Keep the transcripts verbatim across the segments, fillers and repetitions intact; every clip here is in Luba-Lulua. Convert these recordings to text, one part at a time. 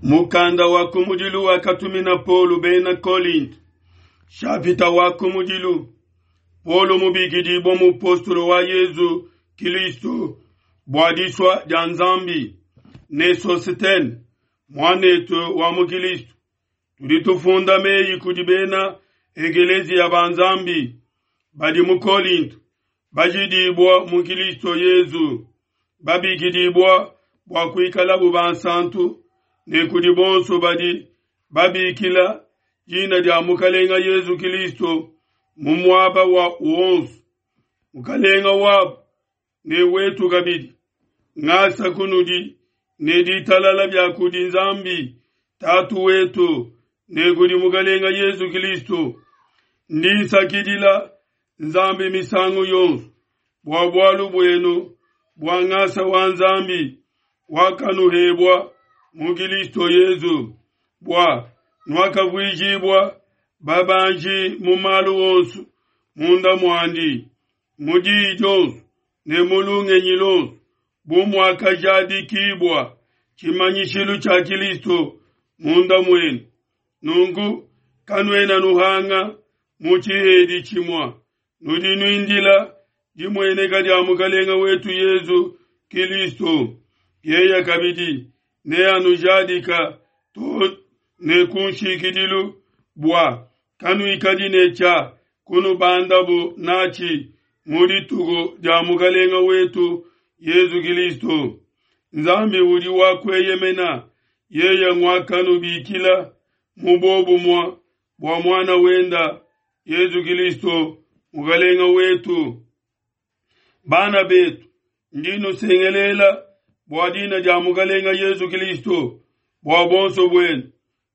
Mukanda wa kumudilu wakatumina Paulo bena Kolinto, shapita wa kumudilu. Paulo mubikidibwa mupostolo wa Yezu Kilisto bua disua dia Nzambi ne Sositene muanetu wa mu Kilisto, tudi tufunda meyi kudi bena ekeleziya ba Nzambi badi mu Kolinto, bajidibwa mu Kilisto Yezu, babikidibwa bua kuikalabu bansantu ne kudi bonso badi babikila dina dia Mukalenga Yezu Kilisto mu muaba wa wonso, Mukalenga wabu ne wetu kabidi. Ngasa kunudi ne ditalala bia kudi Nzambi Tatu wetu ne kudi Mukalenga Yezu Kilisto. Ndi nsakidila Nzambi misangu yonso bua bualu buenu bua ngasa wa Nzambi wakanuhebua mu Kilisto Yezu, bua nuakavuijibua babanji mu malu onso munda muandi, mu diyi dionso ne mu lungenyi luonso, bu muakajadikibua tshimanyishilu tshia Kilisto munda muenu. Nunku kanuena nuhanga mu tshihedi tshimua, nudi nuindila dimueneka dia Mukalenga wetu Yezu Kilisto. Yeya kabidi neanujadika to ne ku nshikidilu, bua kanuikadi ne tshia kunubandabu natshi mu dituku dia Mukalenga wetu Yezu Kilisto. Nzambi udi wa kueyemena, yeya nguakanubikila mu bobumua bua muana wenda Yezu Kilisto Mukalenga wetu. Bana betu, ndi nusengelela bua dina dia Mukalenga Yezu Kilisto, bua bonso buenu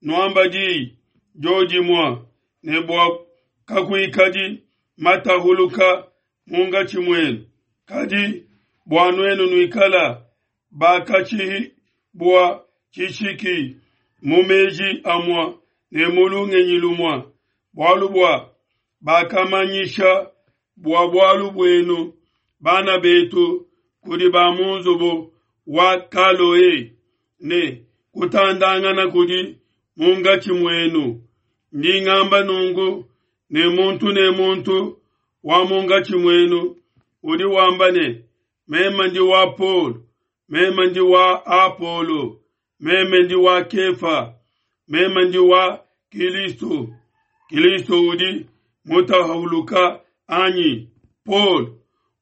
nuamba diyi diodimua, ne bua kakuikadi matahuluka mungatshi muenu, kadi bua nuenu nuikala bakatshibua tshishiki mu meji amua ne mu lungenyi lumua, bualu bua bakamanyisha bua bualu buenu bana betu kudi ba mu nzubu wa Kaloe ne kutandangana kudi mungatshi muenu. Ndi ngamba nungu ne muntu ne muntu wa mungatshi muenu udi wamba ne, meme ndi wa Paulo, meme ndi wa Apolo, meme ndi wa Kefa, meme ndi wa Kilisto. Kilisto udi mutahuluka anyi? Paulo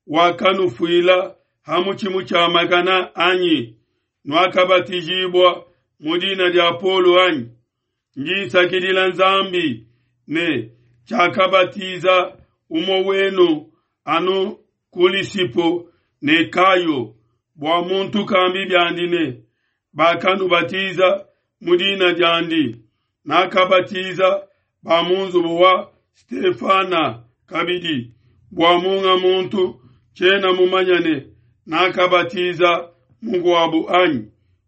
wakanufuila ha mutshimu tshia makana anyi? Nuakabatijibua mu dina dia Paulo anyi? Ndi nsakidila Nzambi ne tshiakabatiza umue wenu anu Kulisipo ne Kayo, bua muntu kambi biandi ne bakanubatiza mu dina diandi. Nakabatiza ba mu nzubu wa Stefana kabidi, bua munga muntu tshiena mumanya ne nakabatiza mukuabu anyi?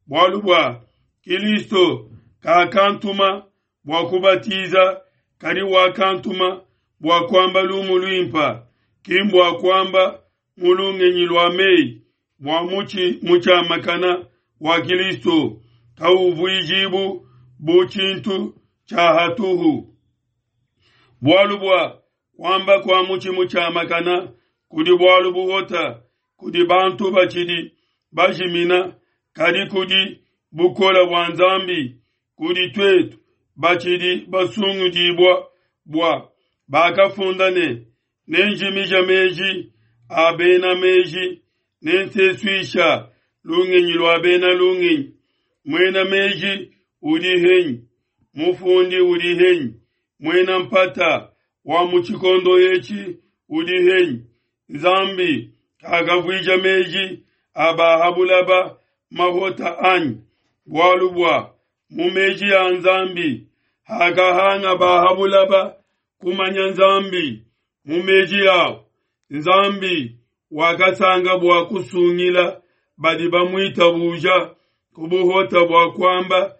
Bualu bua Kilisto kakantuma bua kubatiza, kadi wakantuma bua kuamba lumu luimpa, ki mbua kuamba mu lungenyi lua meyi, bua mutshi mutshiamakana wa Kilisto kauvuijibu bu tshintu tshia hatuhu. Bualu bua kuamba kua mutshi mutshiamakana kudi bualu buhota kudi bantu batshidi bajimina, kadi kudi bukola bua Nzambi kudi tuetu batshidi basungudibua, bua bakafunda ne, nenjimija meji a bena meji, nensesuisha lungenyi lua bena lungenyi. Muena meji udi henyi? Mufundi udi henyi? Muena mpata wa mu tshikondo etshi udi henyi? Nzambi kakavuija meji a bahabulaba mahota anyi? Bualu bua mu meji a Nzambi hakahanga bahabulaba kumanya Nzambi mu meji awo, Nzambi wakasanga bua kusungila badi bamuitabuja ku buhota bua kuamba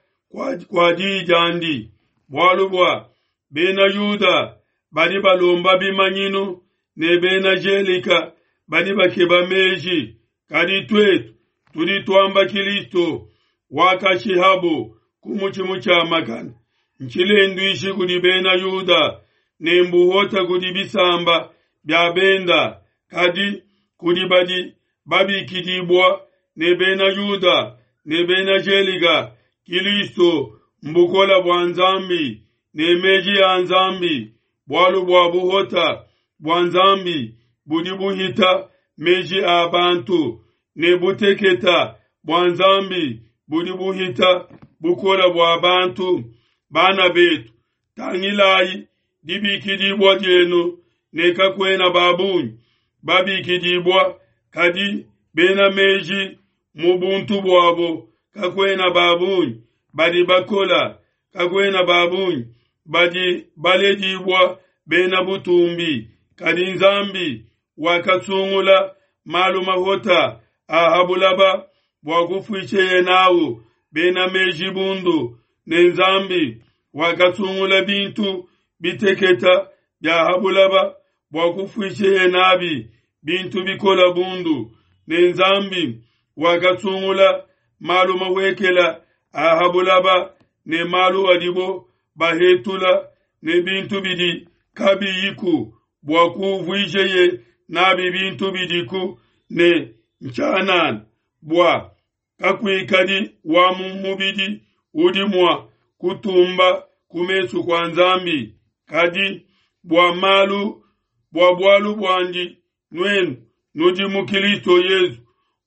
kua diyi diandi. Bualu bua bena Yuda badi balomba bimanyinu ne bena Gelika badi bakeba meji, kadi tuetu tudi tuamba Kilisto wakashihabo ku mutshi mutshiamakane ntshilenduishi kudi bena Yuda ne mbuhota kudi bisamba bia benda, kadi kudi badi babikidibua ne bena Yuda ne bena Gelika, Kilisto mbukola bua Nzambi ne meji a Nzambi. Bualu bua buhota bua Nzambi budi buhita meji a bantu, ne buteketa bua Nzambi budi buhita bukola bua bantu. Bana betu, tangilayi dibikidibua dienu ne kakuena ba bungi babikidibua, kadi bena meji mu buntu buabo kakuena ba bungi badi bakola, kakuena ba bungi badi baledibua bena butumbi, kadi Nzambi wakasungula malu mahota a ha bulaba bua kufuisheye n'au bena meji bundu, ne Nzambi wakasungula bintu biteketa bia ha bulaba bua kufuisheye n'abi bintu bikola bundu, ne Nzambi wakasungula malu mawekela a ha bulaba ne malu adibo bahetula ne bintu bidi kabiyiku bua kuvuijeye nabi bintu bidiku ne ntshianana, bua kakuikadi wa mu mubidi udi mua kutumba ku mesu kua Nzambi. Kadi bua malu bua bualu buandi nuenu nudi mu Kilisto Yesu,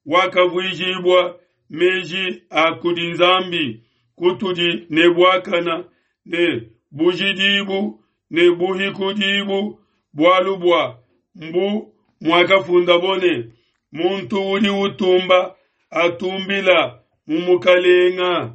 wakavuijibua meji a kudi Nzambi kutudi ne buakana ne bujidibu ne buhikudibu, bualu bua mbu muakafundabo ne, muntu udi utumba atumbila mu Mukalenga.